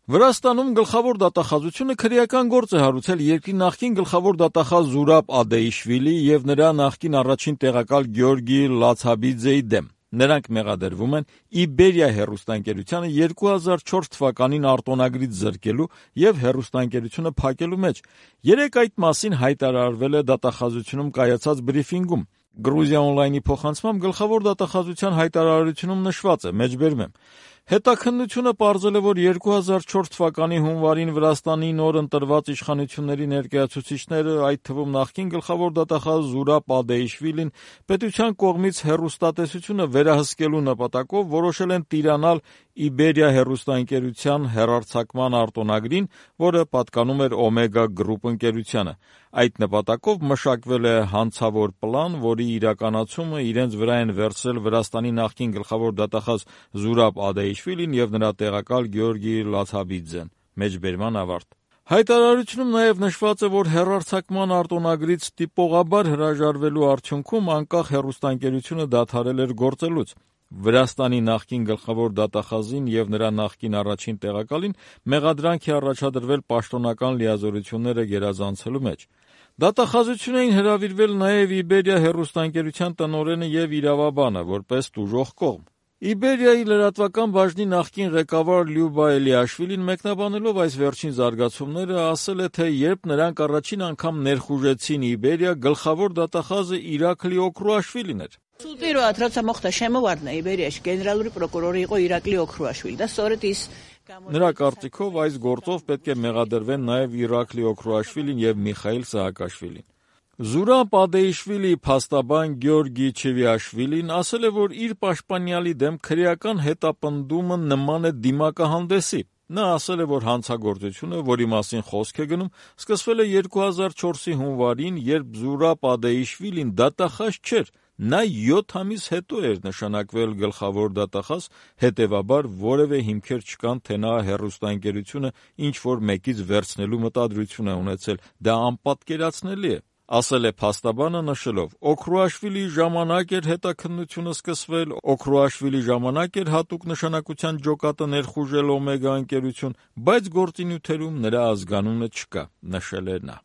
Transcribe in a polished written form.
Վրաստանում գլխավոր դատախազությունը քրեական գործ է հարուցել երկրի նախկին գլխավոր դատախազ Զուրաբ Ադեիշվիլի եւ նրա նախկին առաջին տեղակալ Գյորգի Լացաբիձեի դեմ։ Նրանք մեղադրվում են Իբերիա հեռուստաընկերությանը 2004 թվականին արտոնագրից զրկելու եւ հեռուստաընկերությունը փակելու մեջ։ Երեկ այդ մասին հայտարարվել է դատախազությունում կայացած բրիֆինգում։ Գրուզիա օնլայնի փոխանցմամբ գլխավոր դատախազության հայտարարությունում նշված է, մեջբերում եմ. Հետաքննությունը պարզել է, որ 2004 թվականի հունվարին Վրաստանի նոր ընտրված իշխանությունների ներկայացուցիչները, այդ թվում նախկին գլխավոր դատախազ Զուրաբ Ադեիշվիլին, պետության կողմից հեռուստատեսությունը վերահսկելու նպատակով որոշել են տիրանալ Իբերիա հեռուստաընկերության հեռարձակման արտոնագրին, որը պատկանում էր Օմեգա գրուպ ընկերությանը։ Այդ նպատակով մշակվել է հանցավոր պլան, որի իրականացումը իրենց վրա են վերցրել Վրաստանի նախկին գլխավոր դատախազ Զուրաբ Ադեիշվիլին եւ նրա տեղակալ Գյորգի Լացաբիձեն։ Մեջբերման ավարտ։ Հայտարարությունում նաև նշված է, որ հեռարձակման արտոնագրից տիպողաբար հրաժարվելու արդյունքում անկախ հեռուստաընկերությունը դադարել էր գործելուց։ Վրաստանի նախկին գլխավոր դատախազին եւ նրա նախկին առաջին տեղակալին մեղադրանք է առաջադրվել պաշտոնական լիազորությունները գերազանցելու մեջ։ Դատախազություն էին հրավիրվել նաև Իբերիա հեռուստաընկերության տնօրենը եւ իրավաբանը, որպես տուժող կողմ։ Իբերիայի լրատվական բաժնի նախկին ղեկավար Լյուբա Էլիաշվիլին մեկնաբանելով այս վերջին զարգացումները ասել է, թե երբ նրանք առաջին անգամ ներխուժեցին Իբերիա, գլխավոր դատախազը Իրաքլի Օքրուաշվիլին էր։ Первое, რაც մոխտա շեմովարդն է Իբերիայի գեներալური պրոկուրորի იყო Իրաքլի Օքրուաշվիլի։ Դա სწორედ ის Նրա կարծիքով այս գործով պետք է մեղադրվեն նաև Իրաքլի Օքրուաշվիլին եւ Միխայիլ Սահակաշվիլին։ Զուրաբ Ադեիշվիլի փաստաբան Գյորգի Չևիաշվիլին ասել է, որ իր պաշտպանյալի դեմ քրեական հետապնդումը նման է դիմակահանդեսի։ Նա ասել է, որ հանցագործությունը, որի մասին խոսք է գնում, սկսվել է 2004-ի հունվարին, երբ Զուրաբ Ադեիշվիլին դատախազ չէր։ Նա 7 ամիս հետո էր նշանակվել գլխավոր դատախազ, հետևաբար որևէ հիմքեր չկան, թե նա հեռուստաընկերությունը ինչ-որ մեկից վերցնելու մտադրություն է ունեցել։ Դա անպատկերացնելի է, ասել է փաստաբանը նշելով. Օքրուաշվիլի ժամանակ էր հետաքննությունը սկսվել, Օքրուաշվիլի ժամանակ էր հատուկ նշանակության ջոկատը ներխուժել Օմեգա ընկերություն, բայց գործի նյութերում նրա ազգանունը չկա, նշել է նա։